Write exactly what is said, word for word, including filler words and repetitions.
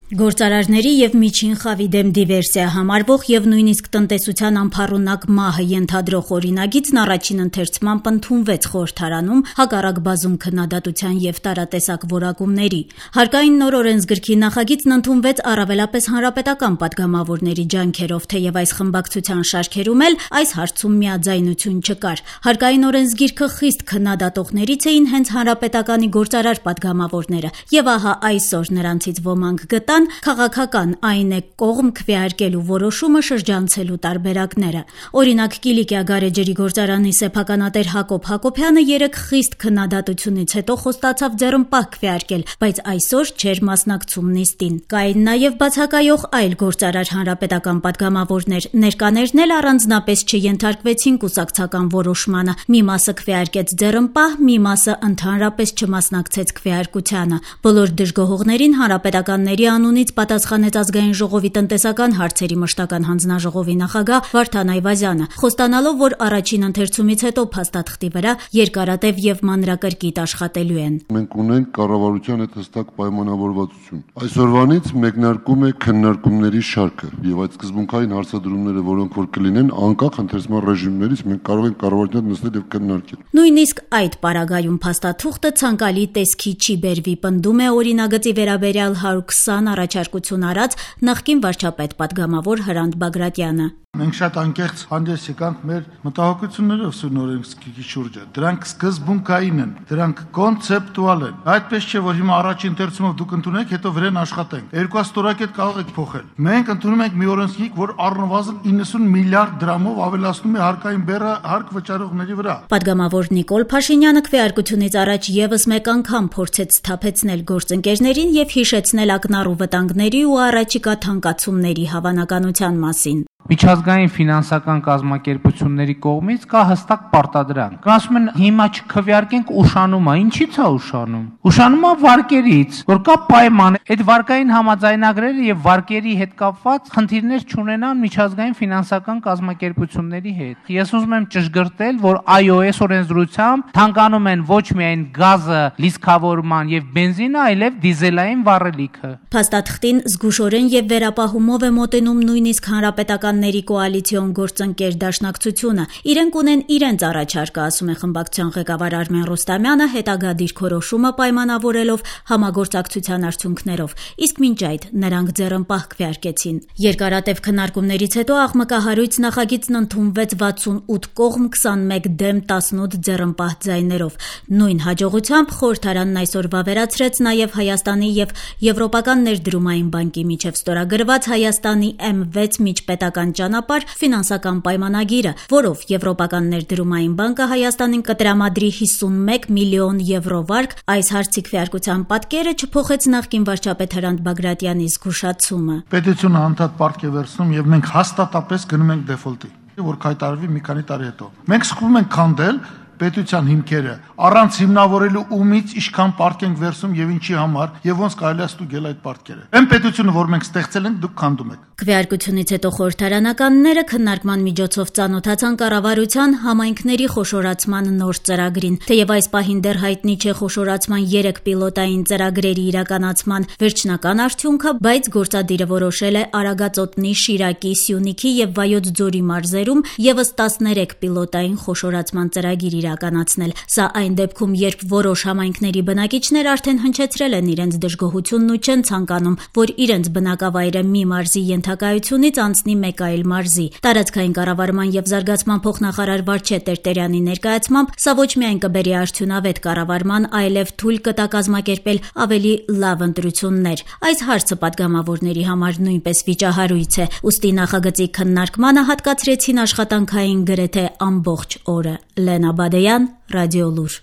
Գործարարների եւ միջին խավի դեմ դիվերսիա համարվող եւ նույնիսկ տնտեսության անփառունակ մահը ենթադրող օրինագիծն առաջին ընթերցմամբ ընդունվեց խորհրդարանում հակառակ բազում քննադատության եւ տարատեսակ որակումների։ Հարկային նոր օրենսգրքի նախագիծն ընդունվեց առավելապես հանրապետական падգամավորների ջանքերով, թեև այս խմբակցության շարքերում էլ այս հարցում միաձայնություն չկար։ Հարկային օրենսգիրքը խիստ քննադատողներից էին հենց հանրապետականի գործարար падգամավորները, եւ ահա այսօր նրանցից ոմանք գտան քաղաքական, այն է կողմ քվեարկելու որոշումը շրջանցելու տարբերակները։ Օրինակ Կիլիկիա գարեջրի գործարանի սեփականատեր Հակոբ Հակոբյանը երեք խիստ քննադատությունից հետո խոստացավ ձեռնպահ քվեարկել, բայց այսօր չէր մասնակցում նիստին։ Կային նաև բացակայող այլ գործարար հանրապետական падգամավորներ, ներկաներն էլ առանձնապես չենթարկվեցին կուսակցական որոշմանը։ Մի մասը քվեարկեց ձեռնպահ, մի մասը ընդհանրապես չմասնակցեց քվեարկությանը։ Բոլոր դժգոհողներին հանրապետականների անունից պատասխանեց ազգային ժողովի տնտեսական հարցերի մշտական հանձնաժողովի նախագահ Վարդան Այվազյանը, խոստանալով, որ առաջին ընթերցումից հետո փաստաթղթի վրա երկարատև եւ մանրակրկիտ աշխատելու են։ Մենք ունենք կառավարության հետ հստակ պայմանավորվածություն։ Այսօրվանից մեկնարկում է քննարկումների շարքը եւ այդ սկզբունքային հարցադրումները, որոնք որ կլինեն անկախ ընթերցման ռեժիմներից, մենք կարող ենք կառավարության հետ նստել եւ քննարկել։ Նույնիսկ այդ պարագայում փաստաթուղթը ցանկալի տեսքի չի բերվի, պնդում է օրինագծի վերաբերյալ հարյուր քսան առաջարկություն արած նախկին վարչապետ падգամավոր Հրանտ Բագրատյանը։ Մենք շատ անկեղծ հանդես եկանք մեր մտահոգություններով սուրնորենսկի շուրջը։ Դրանք սկզբունքային են, դրանք կոնցեպտուալ են։ Այդպես չէ, որ հիմա առաջին ընթերցումով դուք ընդունեք, հետո վրան աշխատենք։ Երկու ստորակետ կարող եք փոխել։ Մենք ընդունում ենք մի օրենսգիր, որ առնվազն իննսուն միլիարդ դրամով ավելացնում է հարկային բեռը հարկ վճարողների վրա։ Падգամավոր Նիկոլ Փաշինյանը քվեարկությունից առաջ եւս մեկ անգամ փորձեց սթափեցնել գործընկերներին եւ հիշեցնել ակնառու վտանգների ու առաջիկա թանկացումների հավանականության մասին։ Միջազգային ֆինանսական կազմակերպությունների կողմից կա հստակ պարտադրանք։ Ասում են հիմա չքվեարկենք ուշանումա, ինչի՞ց է ուշանում։ Ուշանումա վարկերից, որ կա պայման, այդ վարկային համաձայնագրերը եւ վարկերի հետ կապված խնդիրներ չունենան միջազգային ֆինանսական կազմակերպությունների հետ։ Ես ուզում եմ ճշգրտել, որ այո, այս օրենսդրությամբ թանկանում են ոչ միայն գազը, լիցքավորման եւ բենզինը, այլև դիզելային վառելիքը։ Փաստաթղթին զգուշորեն եւ վերապահումով է մոտենում նույնիսկ հանրապետական կոալիցիոն գործընկեր դաշնակցությունը։ Իրենք ունեն իրենց առաջարկը, ասում է խմբակցության ղեկավար Արմեն Ռուստամյանը, հետագա դիրքորոշումը պայմանավորելով համագործակցության արդյունքներով, իսկ մինչ այդ նրանք ձեռնպահ քվեարկեցին։ Երկարատև քննարկումներից հետո աղմկահարույց նախագիծն ընդունվեց վաթսունութ կողմ, քսանմեկ դեմ, տասնութ ձեռնպահ ձայներով։ Նույն հաջողությամբ խորհրդարանն այսօր վավերացրեց նաև Հայաստանի եւ Եվրոպական ներդրումային բանկի միջև ստորագրված Հայաստանի էմ վեց միջպետական ճանապարհ ֆինանսական պայմանագիրը, որով Եվրոպական ներդրումային բանկը Հայաստանին կտրամադրի հիսունմեկ միլիոն եվրո վարկ։ Այս հարցի քվեարկության պատկերը չփոխեց նախկին վարչապետ Հրանտ Բագրատյանի զգուշացումը։ Պետությունը անդադ պարտք է վերցնում եւ մենք հաստատապես գնում ենք դեֆոլտի, որ կայտարվի մի քանի տարի հետո։ Մենք սկսում ենք քանդել պետության հիմքերը, առանց հիմնավորելու ումից ինչքան պարտք ենք վերցում եւ ինչի համար եւ ոնց կարելի է ստուգել այդ պարտքերը։ Այն պետությունը, որ մենք ստեղծել ենք, դուք քանդում եք։ Քվեարկությունից հետո խորհրդարանականները քննարկման միջոցով ծանոթացան կառավարության համայնքների խոշորացման նոր ծրագրին։ Թեև այս պահին դեռ հայտնի չէ խոշորացման երեք պիլոտային ծրագրերի իրականացման վերջնական արդյունքը, բայց գործադիրը որոշել է Արագածոտնի, Շիրակի, Սյունիքի եւ Վայոց ձորի մարզերում եւս տասներեք պիլոտային խոշորացման ծրագիր իրականացնել։ Սա այն դեպքում, երբ որոշ համայնքների բնակիչներ արդեն հնչեցրել են իրենց դժգոհությունն ու չեն ցանկանում, որ իրենց բնակավայրը մի մարզի ենթակայությունից անցնի մեկ այլ մարզի։ Տարածքային կառավարման եւ զարգացման փոխնախարար Վարչե Տերտերյանի ներկայացմամբ սա ոչ միայն կբերի արդյունավետ կառավարման, այլև թույլ կտա կազմակերպել ավելի լավ ընտրություններ։ Այս հարցը падգամավորների համար նույնպես վիճահարույց է, ուստի նախագծի քննարկմանը հատկացրեցին աշխատանքային գրեթե ամբողջ օրը։ Լենա Բադեյան, Ռադիոլուր։